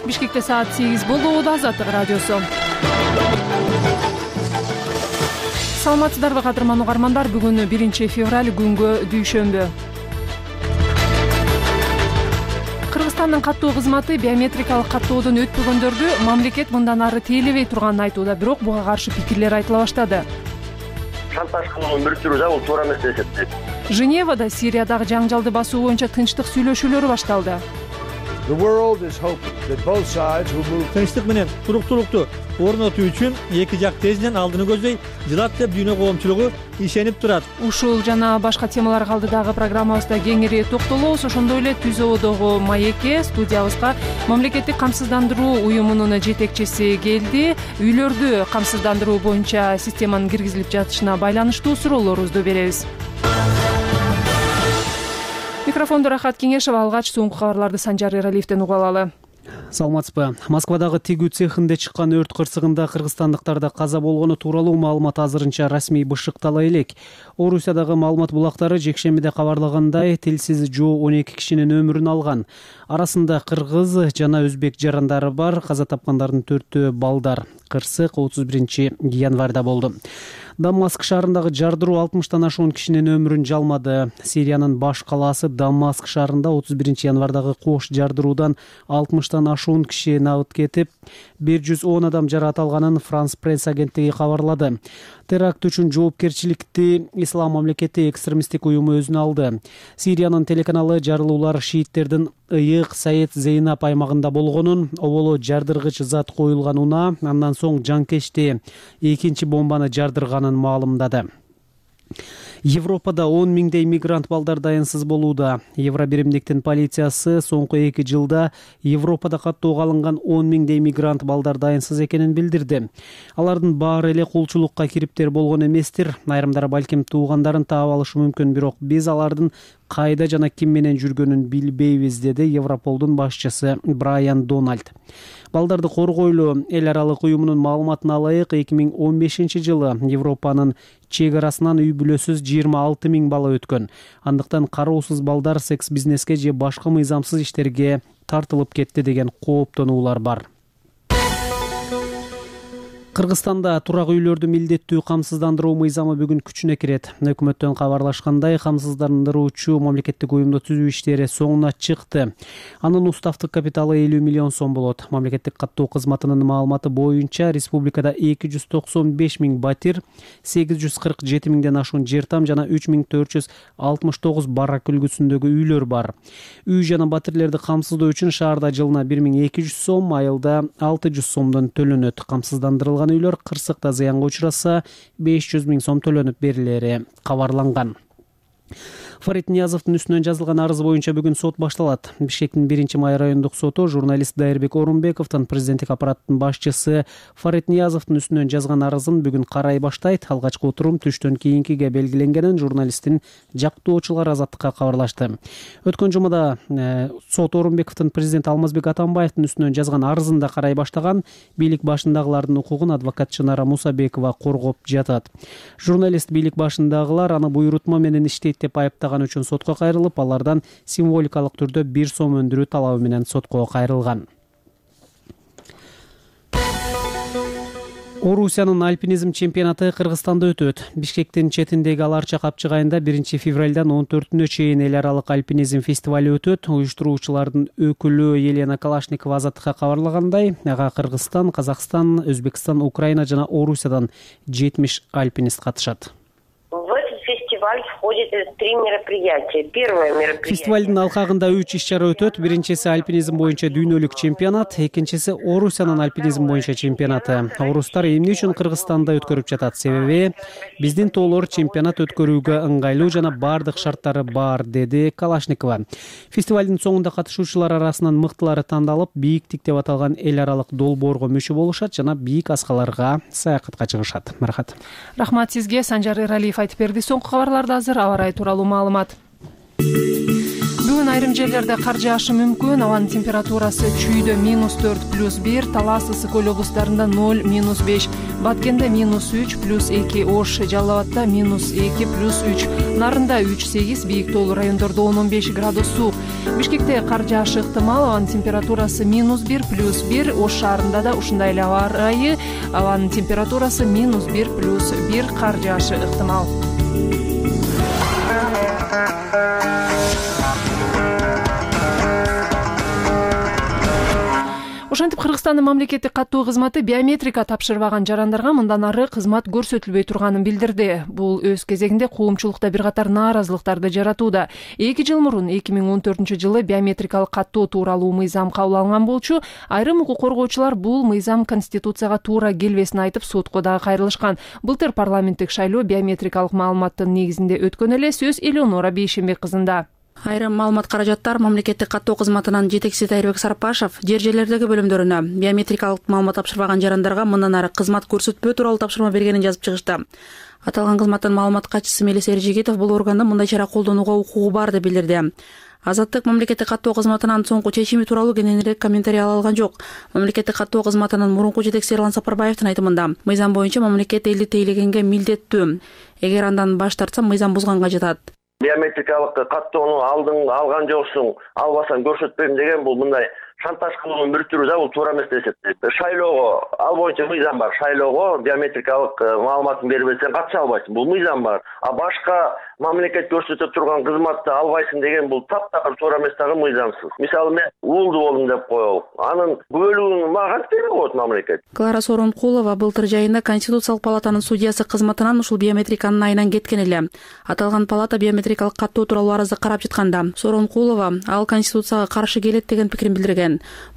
Бишкекте саат 8 болууда. Азаттык радиосу. Саламатсыздарбы кадырман угармандар? Бүгүн 1 февраль күнгө дүйшөмбү. Кыргызстандын каттоо кызматы биометрикалык каттоодон өтпөгөндөрдү мамлекет мындан ары тейлебей турганын айтууда, бирок буга каршы пикирлер айтыла баштады. Шантаж кылуу, мүрүттүрүү да бул туура эмес деп эсептейт. Женевада Сириядагы жаңжалды басуу боюнча тынчтык сүйлөшүүлөрү башталды. Тынчтык менен туруктуулукту орнотуу үчүн эки жак тезинен алдыны көздөй жылат деп дүйнө коомчулугу ишенип турат. Ушул жана башка темаларга алдыдагы программабызда кеңири токтолобуз. Ошондой эле ТүЗОдогу маекке студиябызга мамлекеттик камсыздандыруу уюмунун жетекчиси келди. Үйлөрдү камсыздандыруу боюнча системанын киргизилип жатышына байланыштуу суроолорубузду беребиз. Микрофондо Рахат Кеңешова, алгач соңку кабарларды Санжар Эралиевден угуп алалы. Саламатсызбы. Москвадагы тигүү цехинде чыккан өрт кырсыгында кыргызстандыктарда каза болгону тууралуу маалымат азырынча расмий бышыктала элек. Орусиядагы маалымат булактары жекшембиде кабарлагандай, тилсиз жоо 12 кишинин өмүрүн алган. Арасында кыргыз жана өзбек жарандары бар. Каза тапкандардын 4-төө балдар. Кырсык 31 январда болду. Дамаск шаарындагы жардыруу 60тан ашуун кишинин өмүрүн жалмады. Сириянын баш калаасы Дамаск шаарында 31 январдагы кош жардыруудан 60тан ашуун киши набыт кетип, 110 адам жаракат алганын Франс пресс агенттиги кабарлады. Теракт үчүн жоопкерчиликти Ислам мамлекети экстремисттик уюму өзүнө алды. Сириянын телеканалы жарылуулар шииттердин ыйык Саед Зейнап аймагында болгонун, оболо жардыргыч зат коюлган унаа, андан соң жанкечти экинчи бомбаны жардырганын маалымдады. Европада 10 миңдей мигрант балдар дайынсыз болууда. Евробиримдиктин полициясы соңку 2 жылда Европада каттоого алынган 10 миңдей мигрант балдар дайынсыз экенин билдирди. Алардын баары эле кулчулукка кириптер болгон эместир. Айрымдары балким туугандарын таап алышы мүмкүн, бирок биз алардын кайда жана ким менен жүргөнүн билбейбиз, деди Европолдун башчысы Брайан Дональд. Балдарды коргойлуу эл аралык уюмунун маалыматына ылайык, 2015 жылы Европанын чек арасынан үй бүлөсүз 26 миң бала өткөн. Андыктан кароосуз балдар секс бизнеске же башка мыйзамсыз иштерге тартылып кетти деген кооптонуулар бар. Кыргызстанда турак үйлөрдү милдеттүү камсыздандыруу мыйзамы бүгүн күчүнө кирет. Өкмөттөн кабарлашкандай, камсыздандыруучу мамлекеттик уюмду түзүү иштери соңуна чыкты. Анын уставдык капиталы 50 миллион сом болот. Мамлекеттик каттоо кызматынын маалыматы боюнча республикада 295 миң батир, 847 миңден ашуун жер там жана 3469 барак үлгүсүндөгү үйлөр бар. Үй жана батирлерди камсыздоо үчүн шаарда жылына 1200 сом, айылда 600 сомдон төлөнөт. Камсыздандырылган үйлөр кырсыкта зыянга учураса 500 миң сом төлөнүп берилери кабарланган. Фарид Ниязовдун үстүнөн жазылган арыз боюнча бүгүн сот башталат. Бишкектин 1-май райондук соту журналист Дайырбек Орунбековдун президенттик аппараттын башчысы Фарид Ниязовдун үстүнөн жазган арызын бүгүн карай баштайт. Алгачкы отурум түштөн кийинкиге белгиленгенин журналисттин жактоочулары Азаттыкка кабарлашты. Өткөн жумада сот Орунбековдун президент Алмазбек Атамбаевдин үстүнөн жазган арызын да карай баштаган. Бийлик башындагылардын укугун адвокат Чынара Мусабекова коргоп жатат. Журналист бийлик башындагылар аны буйрутма менен иштейт деп айыптаган үчүн сотко кайрылып, алардан символикалык түрдө 1 сом өндүрүү талабы менен сотко кайрылган. Орусиянын альпинизм чемпионаты Кыргызстанда өтөт. Бишкектин четиндеги Аларча капчыгайында 1 февралдан 14-нө чейин эл аралык альпинизм фестивалю өтөт. Уюштуруучулардын өкүлү Елена Калашникова Азаттыкка кабарлагандай, ага Кыргызстан, Казакстан, Өзбекстан, Украина жана Орусиядан 70 альпинист катышат. Фестиваль входит 3 мероприятия. Первое мероприятие. Фестивалдын алкагында 3 иш-чара өтөт. Биринчиси альпинизм боюнча дүйнөлүк чемпионат, экинчиси Орусиянын альпинизм боюнча чемпионаты. Орустар эмне үчүн Кыргызстанда өткөрүп жатат? Себеби биздин тоолор чемпионат өткөрүүгө ыңгайлуу жана бардык шарттары бар, деди Калашникова. Фестивалдын соңунда катышуучулар арасынан мыктылары тандалып, бийиктик деп аталган эл аралык долбоорго мүчө болушат жана бийик аскаларга саякатка чыгышат. Рахмат сизге. Санжар Эралиев айтып берди. Соңку кабарларда азыр аба ырайы тууралуу маалымат. Бүгүн айрым жерлерде кар жаашы мүмкүн. Абанын температурасы Чүйдө -4+1, Талас, Ысык Көл облустарында 0-5, Баткенде -3+2, Ош, Жалал Абадда -2+3, Нарында 3-8, бийик тоолуу райондордо 10-15 градус суук. Бишкекте кар жаашы ыктымал. Абанын температурасы -1+1, Ош шаарында да ушундай эле аба ырайы. Абанын температурасы -1+1, кар жаашы ыктымал. Ошентип Кыргызстандын мамлекеттик каттоо кызматы биометрика тапшырбаган жарандарга мындан ары кызмат көрсөтүлбөй турганын билдирди. Бул өз кезегинде коомчулукта бир катар нааразылыктарды жаратууда. 2 жыл мурун 2014-жылы биометрикалык каттоо тууралуу мыйзам кабыл алынган болчу. Айрым укук коргоочулар бул мыйзам Конституцияга туура келбесин айтып сотко дагы кайрылышкан. Былтыр парламенттик шайлоо биометрикалык маалыматтын негизинде өткөн эле. Сөз Элеонора Бейшембек кызында. Айрым маалымат каражаттар мамлекеттик каттоо кызматынын жетекчиси Тайырбек Сарапашев жер жерлердеги бөлүмдөрүнө биометрикалык маалымат тапшырбаган жарандарга мындан ары кызмат көрсөтпөө тууралуу тапшырма бергенин жазып чыгышты. Аталган кызматтын маалымат катчысы Мелис Эржигитов бул органдын мындай чара колдонууга укугу бар деп билдирди. Азаттык мамлекеттик каттоо кызматынын соңку чечими тууралуу кененирээк комментарий ала алган жок. Мамлекеттик каттоо кызматынын мурунку жетекчиси Эрлан Сапарбаевдин айтымында, мыйзам боюнча мамлекет элди тейлегенге милдеттүү. Эгер андан баш тартса, мыйзам бузганга жатат. Биометрикалык каттоону алган жоксуң, албасаң көрсөтпөйм деген бул мындай шантаж кылуунун бир түрү да, бул туура эмес деп эсептейт. Шайлоого ал боюнча мыйзам бар. Шайлоого биометрикалык маалыматын бербесең катыша албайсың. Бул мыйзам бар. А башка мамлекет көрсөтө турган кызматты албайсың деген бул таптакыр туура эмес дагы мыйзамсыз. Мисалы мен уулду болдум деп коелу. Анын бөлүгүн мага кантип берип коет мамлекет? Клара Сооронкулова былтыр жайында Конституциялык палатанын судьясы кызматынан ушул биометриканын айынан кеткен эле. Аталган палата биометрикалык каттоо тууралуу арызды карап жатканда Сооронкулова ал Конституцияга каршы келет деген пикирин билдирген.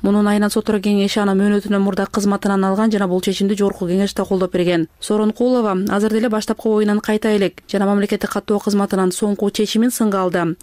Мунун айынан соттор кеңеши аны мөөнөтүнөн мурда кызматынан алган жана бул чечимди жогорку кеңеш да колдоп берген. Сооронкулова азыр деле баштапкы оюнан кайта элек жана мамлекеттик каттоо кызматынын соңку чечимин сынга алды.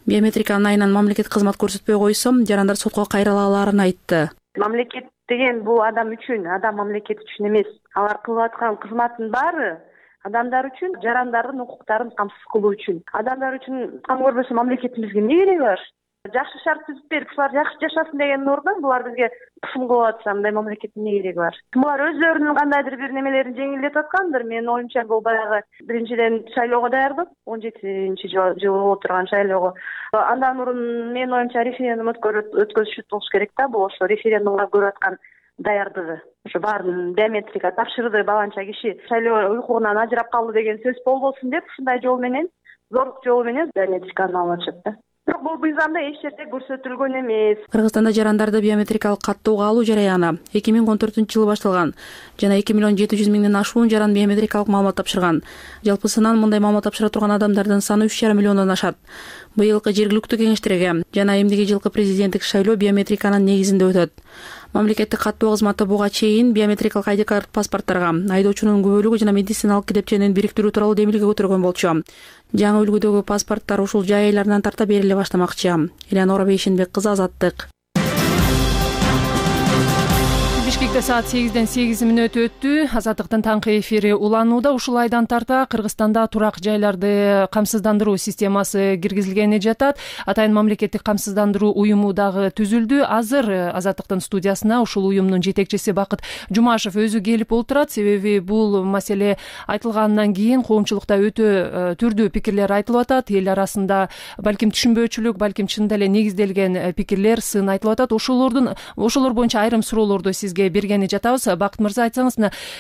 Биометриканын айынан мамлекет кызмат көрсөтпөй койсо, жарандар сотко кайрыла алаарын айтты. Мамлекет деген бул адам үчүн, адам мамлекет үчүн эмес. Алар кылып аткан кызматтын баары адамдар үчүн, жарандардын укуктарын камсыз кылуу үчүн. Адамдар үчүн кам көрбөсө мамлекетибизге эмне кереги бар? Жакшы шарт түзүп берип, ушулар жакшы жашасын деген ордон булар бизге кысым кылып атса, мындай мамлекеттин эмне кереги бар? Булар өздөрүнүн кандайдыр бир немелерин жеңилдетип аткандыр. Менин оюмча бул баягы биринчиден шайлоого даярдык, 17-жыл болуп турган шайлоого. Андан мурун менин оюмча референдум өткөзүшү болуш керек да, бул ошо референдумга көрүп аткан даярдыгы. Ошо баарын биометрика тапшырды, баланча киши шайлоо укугунан ажырап калды деген сөз болбосун деп, ушундай жол менен, зорлук жолу менен биометриканы алып атышат да. Бирок бул мыйзамда эч жерде көрсөтүлгөн эмес. Кыргызстанда жарандарды биометрикалык каттоого алуу жараяны 2014-жылы башталган жана 2.700.000 ашуун жаран биометрикалык маалымат тапшырган. Жалпысынан мындай маалымат тапшыра турган адамдардын саны 3,5 миллиондон ашат. Быйылкы жергиликтүү кеңештерге жана эмдиги жылкы президенттик шайлоо биометриканын негизинде өтөт. Мамлекеттик каттоо кызматы буга чейин биометрикалык ID карт паспорттарга айдоочунун күбөлүгү жана медициналык китепченин бириктирүү тууралуу демилге көтөргөн болчу. Жаңы үлгүдөгү паспорттар ушул жай айларынан тарта бериле баштамакчы. Элеонора Бейшембек кызы, Азаттык. Бишкекте саат 8-ден 8 мүнөт өттү. Азаттыктын таңкы эфири уланууда. Ушул айдан тарта Кыргызстанда турак жайларды камсыздандыруу системасы киргизилгени жатат. Атайын мамлекеттик камсыздандыруу уюму дагы түзүлдү. Азыр Азаттыктын студиясына ушул уюмдун жетекчиси Бакыт Жумашев өзү келип олтурат. Себеби бул маселе айтылгандан кийин коомчулукта өтө түрдүү пикирлер айтылып атат. Эл арасында балким түшүнбөөчүлүк, балким чындап эле негизделген пикирлер, сын айтылып атат. Ошолор боюнча айрым суроолорду сизге бергени жатабыз. Бакыт мырза, айтсаңыз,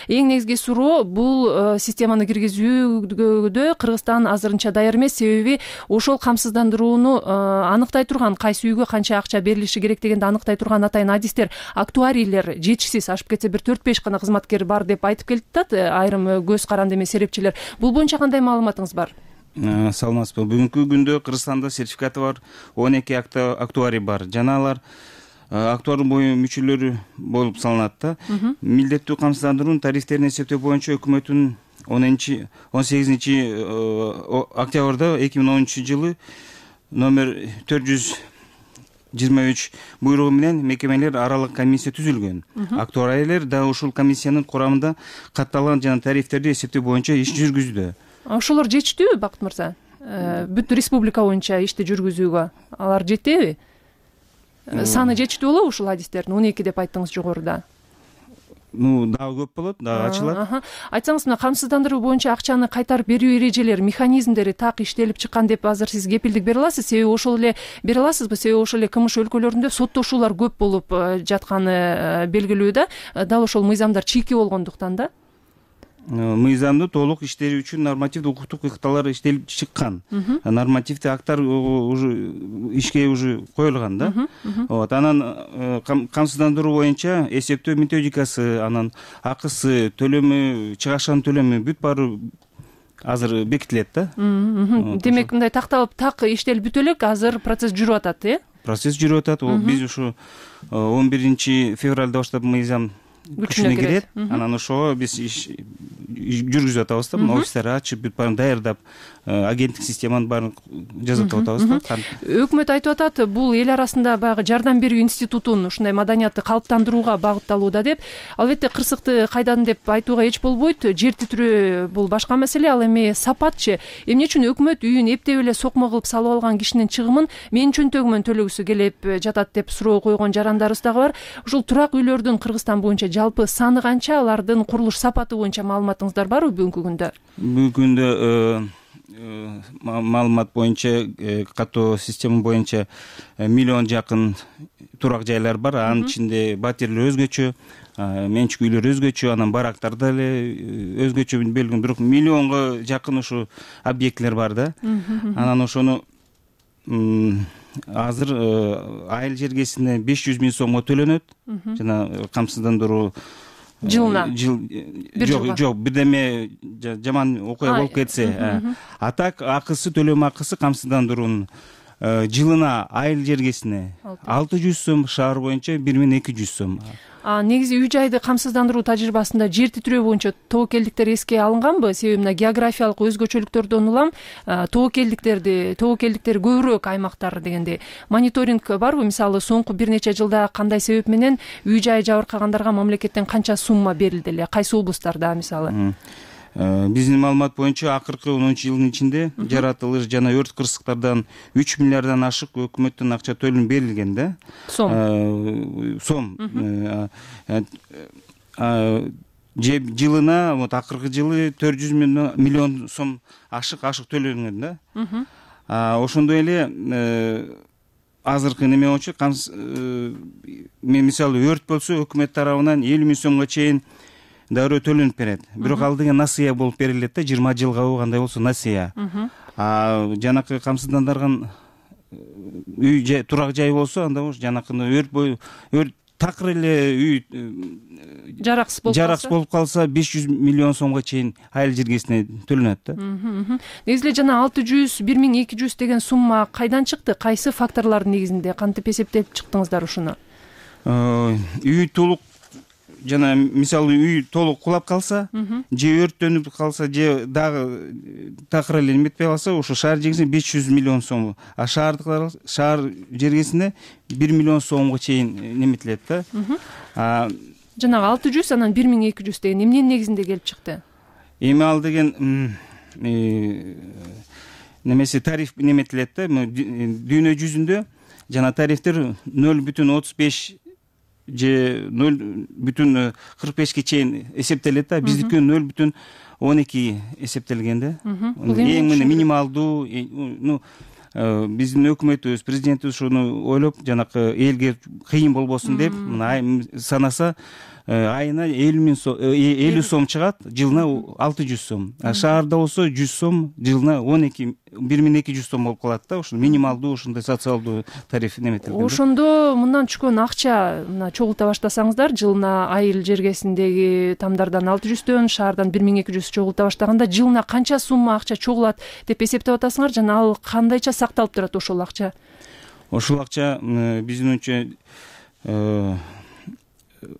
эң негизги суроо бул системаны киргизүүдө Кыргызстан азырынча даяр эмес. Себеби ошол камсыздандырууну аныктай турган, кайсы үйгө канча акча берилиши керек дегенди аныктай турган атайын адистер, актуарийлер жетишсиз, ашып кетсе бир 4-5 гана кызматкер бар деп айтып келатат айрым көз каранды эмес серепчилер. Бул боюнча кандай маалыматыңыз бар? Саламатсызбы. Бүгүнкү күндө Кыргызстанда сертификаты бар 12 актуарий бар. Жана алар актуар бою мүчөлөрү болуп салынат да. Милдеттүү камсыздандыруунун тарифтерин эсептөө боюнча өкмөттүн 18 октябрда 2010-жылы номер 423 буйругу менен мекемелер аралык комиссия түзүлгөн. Актуарийлер да ушул комиссиянын курамында катталган жана тарифтерди эсептөө боюнча иш жүргүздү. Ошолор жетиштүүбү, Бакыт мырза? бүт республика боюнча ишти жүргүзүүгө алар жетеби? Саны жетиштүү болобу ушул адистердин? 12 деп айттыңыз жогоруда. Дагы көп болот, дагы ачылат. Айтсаңыз, мына камсыздандыруу боюнча акчаны кайтарып берүү эрежелери, механизмдери так иштелип чыккан деп азыр сиз кепилдик бере аласыз? Себеби ошол эле бере аласызбы? Себеби ошол эле КМШ өлкөлөрүндө соттошуулар көп болуп жатканы белгилүү да. Дал ошол мыйзамдар чийки болгондуктан да. Мыйзамды толук иштери үчүн нормативдик укуктук ыкталар иштелип чыккан. Нормативдик акттар уже ишке уже коюлган да. Вот, анан камсыздандыруу боюнча эсептөө методикасы, анан акысы, төлөмү, чыгашанын төлөмү бүт баары азыр бекитилет да. Демек, мындай такталып так иштелип бүтө элек, азыр процесс жүрүп атат, Процесс жүрүп атат. Биз ушу 11 февралда баштап мыйзам күчүнө кирет. Анан ошого биз жүргүзүп атабыз да. Офистерди ачып, бүт баарын даярдап, агенттик системанын баарын жасап атабыз да. Өкмөт айтып атат, бул эл арасында баягы жардам берүү институтун, ушундай маданиятты калыптандырууга багытталууда деп. Албетте кырсыкты кайдан деп айтууга эч болбойт. Жер титирөө бул башка маселе, ал эми сапатчы. Эмне үчүн өкмөт үйүн эптеп эле сокмо кылып салып алган кишинин чыгымын менин чөнтөгүмөн төлөгүсү келип жатат деп суроо койгон жарандарыбыз дагы бар. Ушул турак үйлөрдүн Кыргызстан боюнча жалпы саны канча, алардын курулуш сапаты боюнча маалыматыңыздар барбы бүгүнкү күндө? Бүгүнкү күндө маалымат боюнча, катуу система боюнча 1 миллион жакын турак жайлар бар. Анын ичинде батирлер өзгөчө, менчик үйлөр өзгөчө, анан барактар деле өзгөчө белгилүү. Бирок 1 миллионго жакын ушу объектлер бар да. Анан ошону азыр айыл жергесине 500 000 сомго төлөнөт. Жана камсыздандыруу жылына жок, бирдеме жаман окуя болуп кетсе, а так акысы, төлөм акысы камсыздандыруунун жылына айыл жергесине 600 сом, шаар боюнча 1200 сом. Негизи үй жайды камсыздандыруу тажрыйбасында жер титирөө боюнча тобокелдиктер эске алынганбы? Себеби мына географиялык өзгөчөлүктөрдөн улам тобокелдиктер көбүрөөк аймактар дегенде мониторинг барбы? Мисалы, соңку бир нече жылда кандай себеп менен үй жай жабыркагандарга мамлекеттен канча сумма берилди эле? Кайсы облустарда мисалы? Биздин маалымат боюнча акыркы 10 жылдын ичинде жаратылыш жана өрт кырсыктардан 3 миллиарддан ашык өкмөттүн акча төлөнүп берилген да. Сом. Жылына, вот акыркы жылы 400 миллион сом ашык төлөнгөн да. Ошондой эле азыркы неме боюнча мисалы өрт болсо өкмөт тарабынан 50 000 сомго чейин дароо төлөнүп берет. Бирок ал деген насыя болуп берилет да, 20 жылга кандай болсо насыя. Жанакы камсыздандарган үй жай, турак жай болсо, анда жанакыны өрт такыр эле үй жараксыз болуп калса 500 миллион сомго чейин айыл жергесине төлөнөт да. Негизи эле жана 600, 1200 деген сумма кайдан чыкты? Кайсы факторлордун негизинде кантип эсептеп чыктыңыздар ушуну? Үй толук, жана мисалы үй толук кулап калса, же өрттөнүп калса, же дагы такыр эле эметпей калса, ошо шаар жергесине 500 миллион сом, а шаар жергесине 1 миллион сомго чейин неметилет да. Жанагы 600, анан 1200 деген эмненин негизинде келип чыкты? Эми ал деген немеси тариф неметилет да. Дүйнө жүзүндө жана тарифтер 0,35 же 0,45ке чейин эсептелет да. Биздики 0,12 эсептелген да. Эң минималдуу, биздин өкмөтүбүз, президентибиз ушуну ойлоп, жанакы элге кыйын болбосун деп санаса, айына 50 сом чыгат, жылына 600 сом. Шаарда болсо 100 сом, жылына 1200 сом болуп калат да. Ушул минималдуу ушундай социалдуу тариф неметилген. Ошондо мындан түшкөн акча чогулта баштасаңыздар, жылына айыл жергесиндеги тамдардан 600дөн, шаардан 1200 чогулта баштаганда жылына канча сумма акча чогулат деп эсептеп атасыңар, жана ал кандайча сакталып турат ошол акча? Ошол акча биздин оюнча,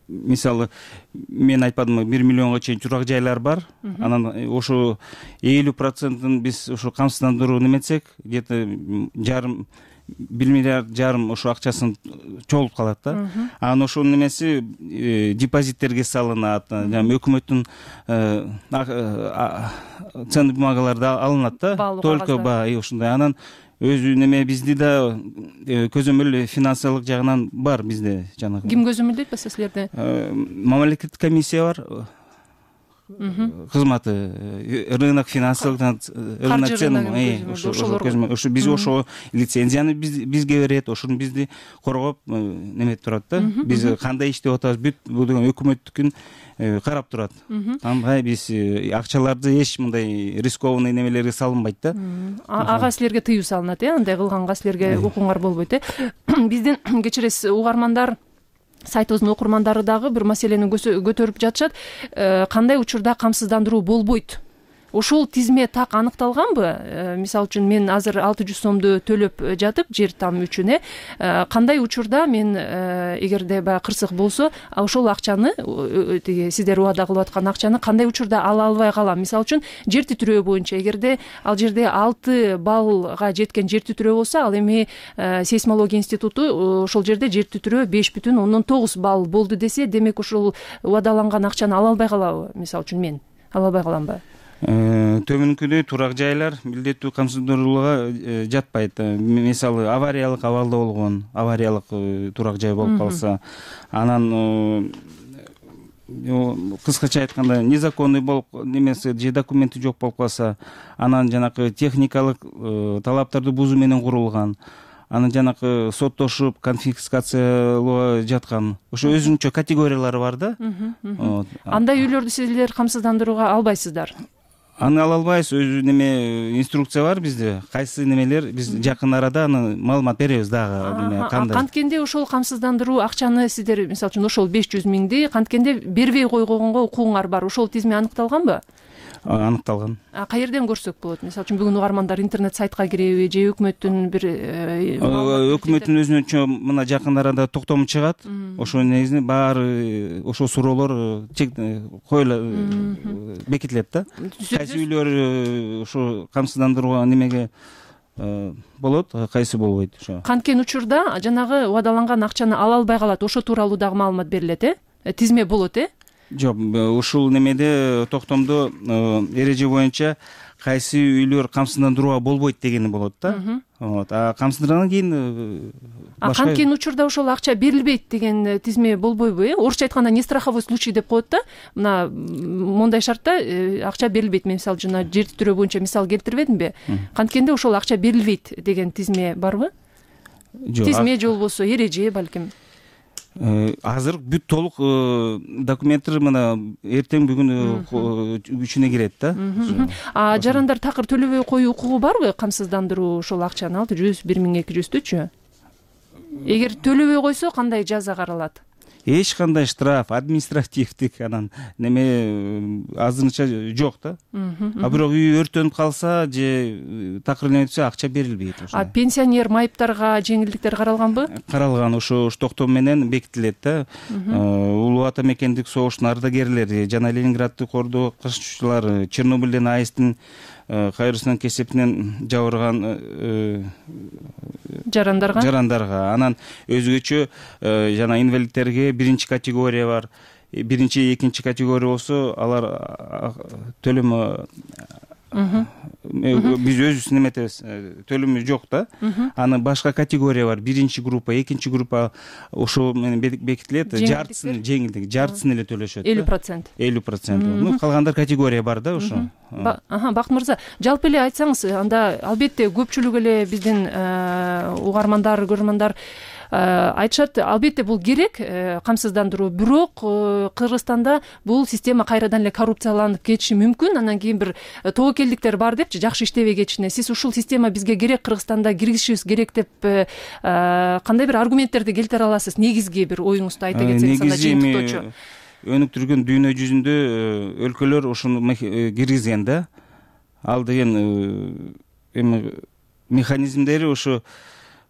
мисалы, мен айтпадымбы, 1 миллионго чейин турак жайлар бар. Анан ошо 50%-ын биз ошо камсыздандыруу неметсек, где-то 1,5 миллиард ошо акчасын чогулуп калат да. Анан ошонун немеси депозиттерге салынат, жана өкмөттүн ценный бумагалары да алынат да. Только ушундай. Анан өзү неме бизди да көзөмөл финансылык жагынан бар бизде жанагы. Ким көзөмөлдөйт болсо силерди? Мамлекеттик комиссия бар. Кызматы рынок финансылык рынок цен ошо биз ошо лицензияны бизге берет, ошону бизди коргоп неметип турат да. Биз кандай иштеп атабыз бүт бул деген өкмөттүкүн карап турат. Андай биз акчаларды эч мындай рискованный немелерге салынбайт да. Ага силерге тыюу салынат, андай кылганга силерге укуңар болбойт. Биздин кечиресиз угармандар, сайтыбыздын окурмандары дагы бир маселени көтөрүп жатышат. Кандай учурда камсыздандыруу болбойт? Ошол тизме так аныкталганбы? Мисалы үчүн мен азыр 600 сомду төлөп жатып жер там үчүн кандай учурда мен эгерде баягы кырсык болсо, ошол акчаны сиздер убада кылып аткан акчаны кандай учурда ала албай калам? Мисалы үчүн жер титирөө боюнча эгерде ал жерде 6 баллга жеткен жер титирөө болсо, ал эми сейсмология институту ошол жерде жер титирөө 5,9 балл болду десе, демек ошол убадаланган акчаны ала албай калабы? Мисалы үчүн мен ала албай каламбы? Төмөнкүдөй турак жайлар милдеттүү камсыздандырууга жатпайт. Мисалы авариялык абалда болгон, авариялык турак жай болуп калса, анан кыскача айтканда незаконный болуп немесе же документи жок болуп калса, анан жанакы техникалык талаптарды бузуу менен курулган, анан жанакы соттошуп конфискациялоо жаткан, ошо өзүнчө категориялары бар да. Андай үйлөрдү силер камсыздандырууга албайсыздар? Аны ала албайбыз, өзү неме инструкция бар бизде. Кайсы немелер биз жакын арада аны маалымат беребиз дагы. Канткенде ошол камсыздандыруу акчаны сиздер мисалы үчүн ошол 500 миңди канткенде бербей койгонго укугуңар бар. Ошол тизме аныкталганбы? Аныкталган. Каерден көрсөк болот? Мисалы үчүн бүгүн угармандар интернет сайтка киреби же өкмөттүн бир өкмөттүн өзүнчө мына жакын арада токтому чыгат. Ошо негизинен баары ошол суроолор бекитилет да. Кайсы үйлөр ошо камсыздандырууга немеге болот, кайсы болбойт ошо. Канткен учурда жанагы убадаланган акчаны ала албай калат, ошо тууралуу дагы маалымат берилет, тизме болот, Жок, ушул немеде токтомдо эреже боюнча кайсы үйлөр камсыздандырууга болбойт дегени болот да. А камсыздыргандан кийин башка канткен учурда ошол акча берилбейт деген тизме болбойбу? Орусча айтканда не страховой случай деп коет да. Мына мондай шартта акча берилбейт. Мен мисалы жана жер титирөө боюнча мисал келтирбедимби? Канткенде ошол акча берилбейт деген тизме барбы? Тизме же болбосо эреже балким. Азыр бүт толук документтер мына эртең бүгүн күчүнө кирет да. Жарандар такыр төлөбөй коюу укугу барбы? Камсыздандыруу ошол акчаны 600, 1200-түчү. Эгер төлөбөй койсо кандай жаза каралат? Эч кандай штраф, административдик анан неме азырынча жок да. А бирок үй өрттөнүп калса же такыр неметсе акча берилбейт. Пенсионер майыптарга жеңилдиктер каралганбы? Каралган, ошо токтом менен бекитилет да. Улуу ата мекендик согуштун ардагерлери жана Ленинградды коргоочулар, Чернобыльден АЭСтин кайрысынан кесепинен жабырган жарандарга, анан өзгөчө жана инвалидтерге 1 категория бар. 1-2 категория болсо алар төлөм биз өзүбүз неметебиз, төлөмү жок да. Анын башка категория бар. 1 группа, 2 группа ошо менен бекитилет. Жартысын жеңилдик, жартысын эле төлөшөт. 50%. 50%. Калгандар категория бар да ошо. Бакыт мырза, жалпы эле айтсаңыз, анда албетте көпчүлүк эле биздин угармандар, көрөрмандар айтышат, албетте бул керек камсыздандыруу, бирок Кыргызстанда бул система кайрадан эле коррупцияланып кетиши мүмкүн, анан кийин бир тобокелдиктер бар депчи, жакшы иштебей кетишине. Сиз ушул система бизге керек, Кыргызстанда киргизишибиз керек деп кандай бир аргументтерди келтире аласыз? Негизги бир оюңузду айта кетсеңиз, анда жыйынтыктоочу. Өнүктүргөн дүйнө жүзүндө өлкөлөр ушуну киргизген да. Ал деген эми механизмдери ошо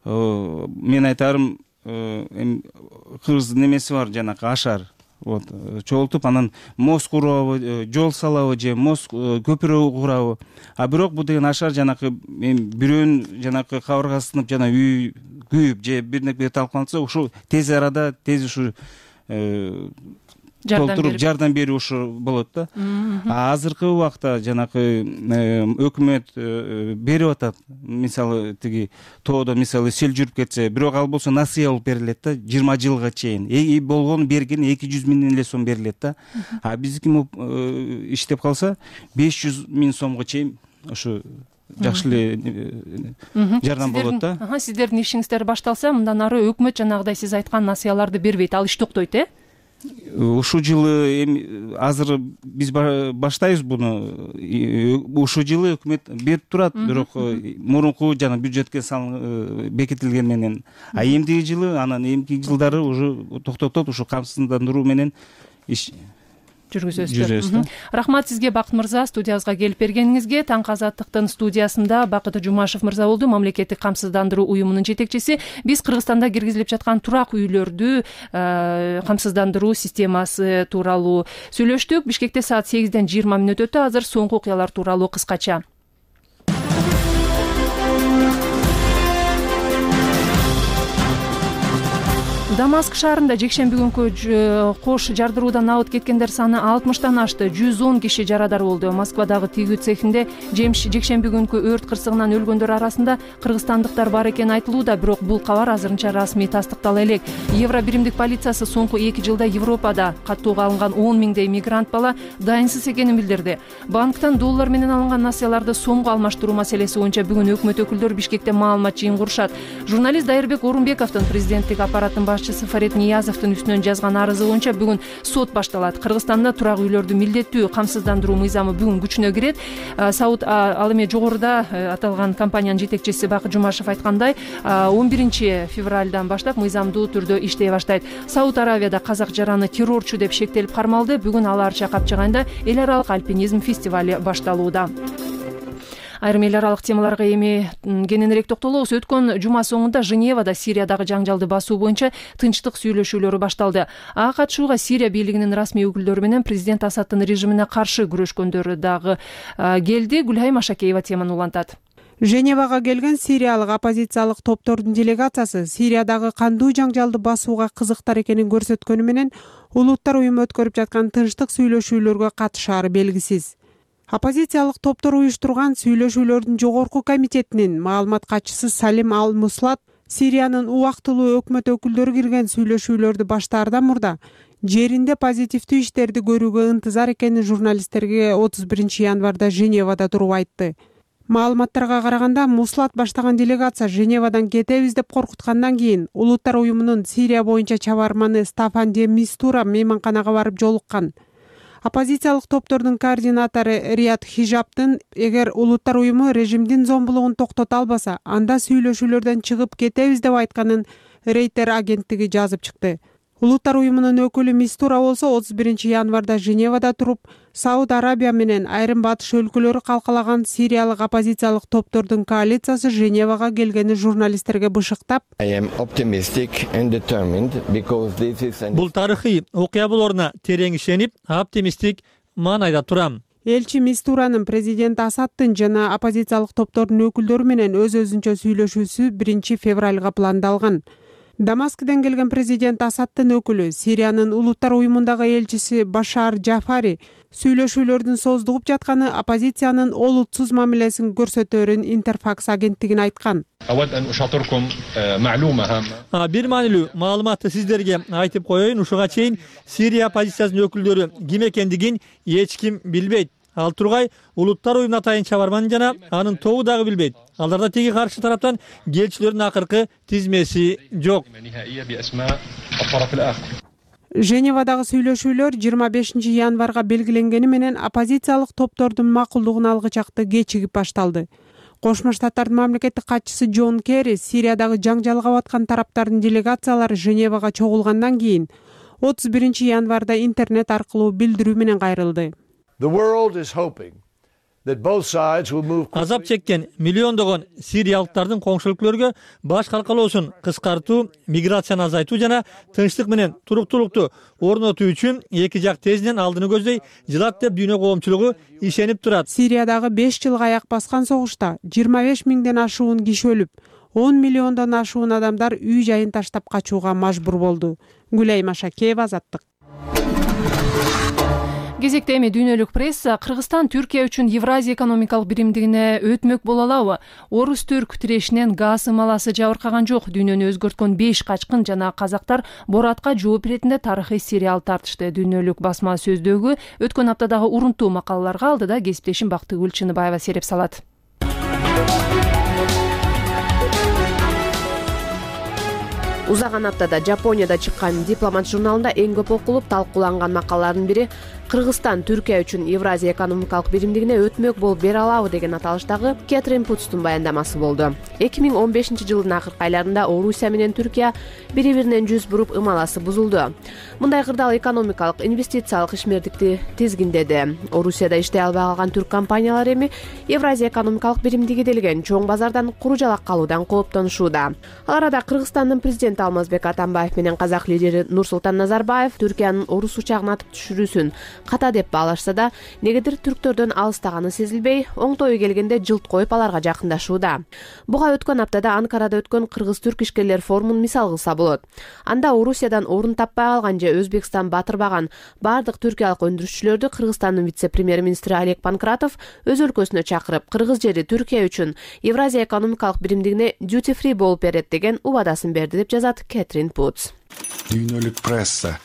мен айтарым кыргыз немеси бар, жанакы ашар. вот чогултуп анан мост курабы, жол салабы же мост көпүрө курабы. А бирок бул деген ашар жанакы бирөөнүн жанакы кабыргасы жана үй күйүп же бир талкаланса ушул тез арада тез ушу толтуруп жардам берүү ушу болот да. Азыркы убакта жанакы өкмөт берип атат. Мисалы тиги тоодо мисалы сел жүрүп кетсе, бирок ал болсо насыя болуп берилет да 20 жылга чейин. Болгону берген 200 миң эле сом берилет да. А биздики иштеп калса 500 миң сомго чейин ушу жакшы эле жардам болот да. Сиздердин ишиңиздер башталса, мындан ары өкмөт жанагыдай сиз айткан насыяларды бербейт, ал иш токтойт, Ушул жылы азыр биз баштайбыз буну. Ушул жылы өкмөт берип турат, бирок мурунку жана бюджетке бекитилген менен. А эмдиги жылы, анан эмки жылдары уже токтотуп ушу камсыздандыруу менен иш жүргүзөбүз. Рахмат сизге, Бакыт мырза, студиябызга келип бергениңизге. Таңкы Азаттыктын студиясында Бакыт Жумашев мырза болду, мамлекеттик камсыздандыруу уюмунун жетекчиси. Биз Кыргызстанда киргизилип жаткан турак үйлөрдү камсыздандыруу системасы тууралуу сүйлөштүк. Бишкекте саат 8ден 20 мүнөт өтө. Азыр соңку окуялар тууралуу кыскача. Дамаск шаарында жекшемби күнкү кош жардыруудан абыт кеткендер саны 60тан ашты. 110 киши жарадар болду. Москвадагы тигүү цехинде жекшемби күнкү өрт кырсыгынан өлгөндөр арасында кыргызстандыктар бар экени айтылууда, бирок бул кабар азырынча расмий тастыктала элек. Евро биримдик полициясы соңку 2 жылда Европада каттоого алынган 10 миңдей мигрант бала дайынсыз экенин билдирди. Банктан доллар менен алынган насыяларды сомго алмаштыруу маселеси боюнча бүгүн өкмөт өкүлдөрү Бишкекте маалымат жыйын курушат. Журналист Дайырбек Орунбековдун президенттик аппараттын Фарид Ниязовдун үстүнөн жазган арызы боюнча бүгүн сот башталат. Кыргызстанда турак үйлөрдү милдеттүү камсыздандыруу мыйзамы бүгүн күчүнө кирет. Сауд ал эми жогоруда аталган компаниянын жетекчиси Бакыт Жумашев айткандай, 11 февралдан баштап мыйзамдуу түрдө иштей баштайт. Сауд Аравияда казак жараны террорчу деп шектелип кармалды. Бүгүн Ала Арча капчыгайында эл аралык альпинизм фестивали башталууда. Айрым эл аралык темаларга эми кененирээк токтолобуз. Өткөн жума соңунда Женевада Сириядагы жаңжалды басуу боюнча тынчтык сүйлөшүүлөрү башталды. Ага катышууга Сирия бийлигинин расмий өкүлдөрү менен президент Асадтын режимине каршы күрөшкөндөр дагы келди. Гүлайым Ашакеева теманы улантат. Женевага келген сириялык оппозициялык топтордун делегациясы Сириядагы кандуу жаңжалды басууга кызыктар экенин көрсөткөнү менен улуттар уюму өткөрүп жаткан тынчтык сүйлөшүүлөргө катышаары белгисиз. Оппозициялык топтор уюштурган сүйлөшүүлөрдүн жогорку комитетинин маалымат катчысы Салим Ал-Муслат Сириянын убактылуу өкмөт өкүлдөрү кирген сүйлөшүүлөрдү баштаардан мурда жеринде позитивдүү иштерди көрүүгө ынтызар экенин журналисттерге 31 январда Женевада туруп айтты. Маалыматтарга караганда, Муслат баштаган делегация Женевадан кетебиз деп коркуткандан кийин улуттар уюмунун Сирия боюнча чабарманы Стафан де Мистура мейманканага барып жолуккан. Оппозициялык топтордун координатору Рият Хижаптын эгер улуттар уюму режимдин зомбулугун токтото албаса, анда сүйлөшүүлөрдөн чыгып кетебиз деп айтканын Рейтер агенттиги жазып чыкты. Улуттар уюмунун өкүлү Мистура болсо 31 январда Женевада туруп, Сауд Арабия менен айрым батыш өлкөлөрү калкалаган сириялык оппозициялык топтордун коалициясы Женевага келгени журналисттерге бышыктап, бул тарыхый окуя болоруна терең ишенип, оптимисттик маанайда турам. Элчи Мистуранын президент Асадтын жана оппозициялык топтордун өкүлдөрү менен өз-өзүнчө сүйлөшүүсү 1 февралга пландалган. Дамаскден келген президент Асадтын өкүлү, Сириянын улуттар уюмундагы элчиси Башар Джафари сүйлөшүүлөрдүн созулуп жатканы оппозициянын олутсуз мамилесин көрсөтөөрүн Интерфакс агенттигине айткан. Бир маанилүү маалыматты сиздерге айтып коеюн. Ушуга чейин Сирия оппозициясынын өкүлдөрү ким экендигин эч ким билбейт. Ал тургай улуттар уюмуна атайын чабарман жана анын тобу дагы билбейт. Алдарда теги каршы тараптан келчүлөрдүн акыркы тизмеси жок. Женевадагы сүйлөшүүлөр 25 январга белгиленгени менен оппозициялык топтордун макулдугун алгычакты кечигип башталды. Кошмо Штаттардын мамлекеттик катчысы Джон Керри Сириядагы жаңжалга баткан тараптардын делегациялары Женевага чогулгандан кийин 31 январда интернет аркылуу билдирүү менен кайрылды. The world is hoping азап чеккен миллиондогон сириялыктардын коңшу өлкөлөргө баш калкалоосун кыскартуу, миграцияны азайтуу жана тынчтык менен туруктуулукту орнотуу үчүн эки жак тезинен алдыны көздөй жылат деп дүйнө коомчулугу ишенип турат. Сириядагы 5 жылга аяк баскан согушта 25 миңден ашуун киши өлүп, 10 миллиондон ашуун адамдар үй жайын таштап качууга мажбур болду. Гүлай Машакеева, Азаттык. Кезекте эми дүйнөлүк пресса. Кыргызстан Түркия үчүн Евразия экономикалык биримдигине өтмөк боло алабы? Орус-түрк тирешинен газ ымаласы жабыркаган жок. Дүйнөнү өзгөрткөн 5 качкын жана казактар Боратка жооп иретинде тарыхый сериал тартышты. Дүйнөлүк басма сөздөгү өткөн аптадагы урунтуу макалаларга алдыда кесиптешим Бактыгүл Чыныбаева сереп салат. Узаган аптада Жапонияда чыккан Дипломат журналында эң көп окулуп талкууланган макалалардын бири Кыргызстан Түркия үчүн Евразия экономикалык биримдигине өтмөк болуп бере алабы деген аталыштагы Кэтрин Путстун баяндамасы болду. 2015-жылдын акыркы айларында Орусия менен Түркия бири-биринен жүз буруп ымаласы бузулду. Мындай кырдаал экономикалык, инвестициялык ишмердикти тизгиндеди. Орусияда иштей албай калган түрк компаниялары эми Евразия экономикалык биримдиги делген чоң базардан куру-жалак калуудан кооптонушууда. Ал арада Кыргызстандын президенти Алмазбек Атамбаев менен казак лидери Нурсултан Назарбаев Түркиянын Орус учагын атып түшүрүүсүн ката деп баалашса да, негедир түрктөрдөн алыстаганы сезилбей, оңтою келгенде жылт коюп аларга жакындашууда. Буга өткөн аптада Анкарада өткөн кыргыз-түрк ишкерлер форумун мисал кылса болот. Анда Орусиядан орун таппай калган же Өзбекстан батырбаган бардык түркиялык өндүрүшчүлөрдү Кыргызстандын вице-премьер-министри Олег Панкратов өз өлкөсүнө чакырып, кыргыз жери Түркия үчүн Евразия экономикалык биримдигине duty free болуп берет деген убадасын берди деп жазат Кэтрин Путс. Дүйнөлүк пресса.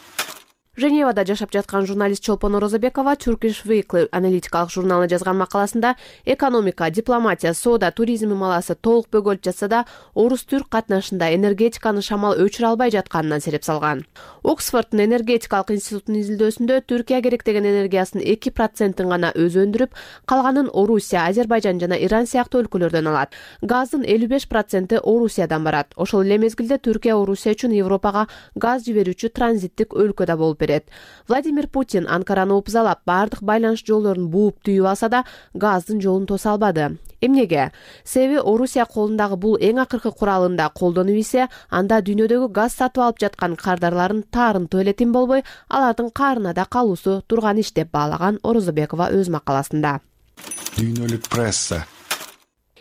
Женевада жашап жаткан журналист Чолпон Орозобекова Turkish Weekly аналитикалык журналына жазган макаласында экономика, дипломатия, соода, туризм ымаласы толук бөгөлүп жатса да, орус-түрк катнашында энергетиканы шамал өчүрө албай жатканынан сереп салган. Оксфорддун энергетикалык институтунун изилдөөсүндө Түркия керектеген энергиясын 2% гана өзү өндүрүп, калганын Орусия, Азербайжан жана Иран сыяктуу өлкөлөрдөн алат. Газдын 55% Орусиядан барат. Ошол эле мезгилде Түркия Орусия үчүн Европага газ жиберүүчү транзиттик өлкө да болуп берет. Владимир Путин Анкараны опузалап, бардык байланыш жолдорун бууп түйүп алса да, газдын жолун тоса албады. Эмнеге? Себеби Орусия колундагы бул эң акыркы куралында колдонуп ийсе, анда дүйнөдөгү газ сатып алып жаткан кардарлардын таарынтуу эле тим болбой, алардын каарына да калуусу турган иш деп баалаган Орозобекова өз макаласында. Дүйнөлүк пресса.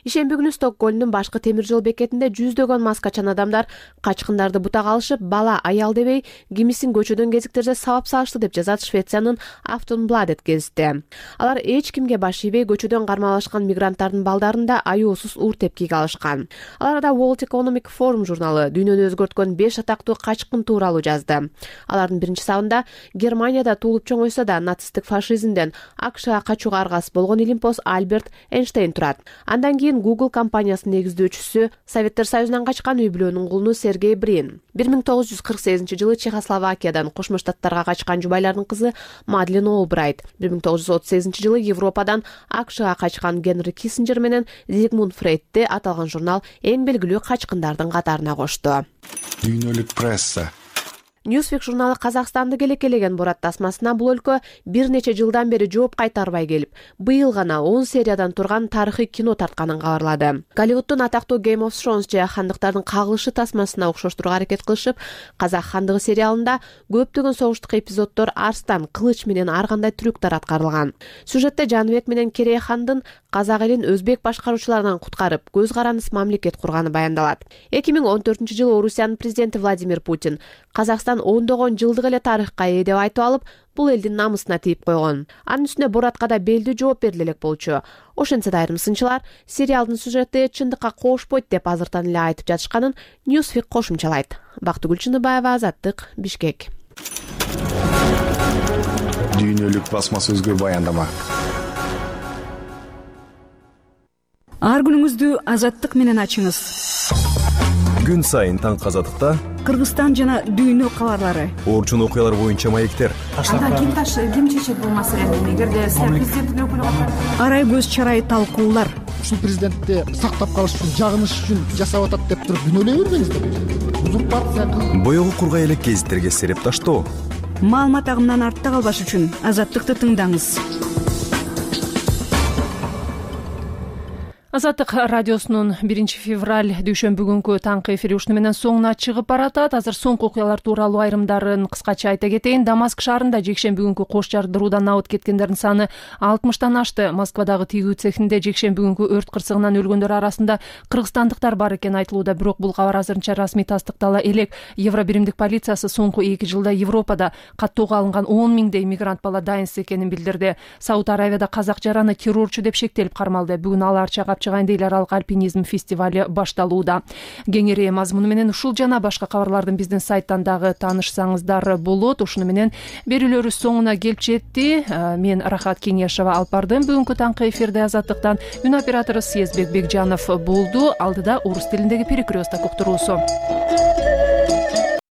Ишемби күнү Стокгольмдун башкы темир жол бекетинде жүздөгөн маскачан адамдар качкындарды бутага алышып, бала аял дебей, кимисин көчөдөн кезиктерде сабап салышты деп жазат Швециянын Aftonbladet гезити. Алар эч кимге баш ийбей көчөдөн кармалашкан мигранттардын балдарын да аюусуз уур тепкиге алышкан. Аларда World Economic Forum журналы дүйнөнү өзгөрткөн 5 атактуу качкын тууралуу жазды. Алардын биринчи сабында Германияда туулуп чоңойсо да нацисттик фашизмден АКШга качууга аргасыз болгон илимпоз Альберт Эйнштейн турат. Андан кийин Google компаниясынын негиздөөчүсү, Советтер Союзунан качкан үй бүлөнүн кулуну Сергей Брин. 1948-жылы Чехословакиядан Кошмо Штаттарга качкан жубайлардын кызы Мадлен Олбрайт. 1938-жылы Европадан АКШга качкан Генри Киссинджер менен Зигмунд Фрейдти аталган журнал эң белгилүү качкындардын катарына кошту. Дүйнөлүк пресса. Newsweek журналы Казакстанды келекелеген Борат тасмасына бул өлкө бир нече жылдан бери жооп кайтарбай келип, быйыл гана 10 сериядан турган тарыхый кино тартканын кабарлады. Голливуддун атактуу Game of Thrones же хандыктардын кагылышы тасмасына окшоштурууга аракет кылышып, Казак хандыгы сериалында көптөгөн согуштук эпизоддор арстан, кылыч менен ар кандай трюктар аткарылган. Сюжетте Жаныбек менен Керей хандын казак элин өзбек башкаруучуларынан куткарып, көз карандыс мамлекет курганы баяндалат. 2014-жылы Орусиянын президенти Владимир Путин Казакстан ондогон жылдык эле тарыхка ээ деп айтып алып, бул элдин намысына тийип койгон. Анын үстүнө Боратка да белдүү жооп бериле элек болчу. Ошентсе да айрым сынчылар сериалдын сюжети чындыкка кошпойт деп азыртан эле айтып жатышканын Newsweek кошумчалайт. Бактыгүл Чыныбаева, Азаттык, Бишкек. Дүйнөлүк басма сөзгө баяндама. Ар күнүңүздү Азаттык менен ачыңыз. Күн сайын таңкы Азаттыкта Кыргызстан жана дүйнө кабарлары, орчун окуялар боюнча маектер. Ким чечет бул маселени? Эгерде президенттин өкүлү арай көз чарай талкуулар. Ушул президентти сактап калыш үчүн, жагыныш үчүн жасап атат деп туруп күнөөлөй бербеңиздер. Узурпация кылып боёгу кургай элек гезиттерге сереп таштоо. Маалымат агымынан артта калбаш үчүн Азаттыкты тыңдаңыз. Азаттык радиосунун 1-февраль дүйшөмбү күнкү таңкы эфири ушуну менен соңуна чыгып баратат. Азыр соңку окуялар тууралуу айрымдарын кыскача айта кетейин. Дамаск шаарында жекшемби күнкү кош жардыруудан абыт кеткендердин саны 60тан ашты. Москвадагы тигүү цехинде жекшемби күнкү өрт кырсыгынан өлгөндөр арасында кыргызстандыктар бар экени айтылууда, бирок бул кабар азырынча расмий тастыктала элек. Евро биримдик полициясы соңку 2 жылда Европада каттоого алынган 10 миңдей мигрант бала дайынсыз экенин билдирди. Сауд Аравияда казак жараны террорчу деп шектелип кармалды. Бүгүн алар чагап чыгайын эл аралык альпинизм фестивали башталууда. Кеңири мазмуну менен ушул жана башка кабарлардын биздин сайттан дагы таанышсаңыздар болот. Ушуну менен берүүлөрүбүз соңуна келип жетти. Мен Рахат Кеңешова алып бардым бүгүнкү таңкы эфирде. Азаттыктан үн оператору Съездбек Бекжанов болду. Алдыда орус тилиндеги перекресток уктуруусу.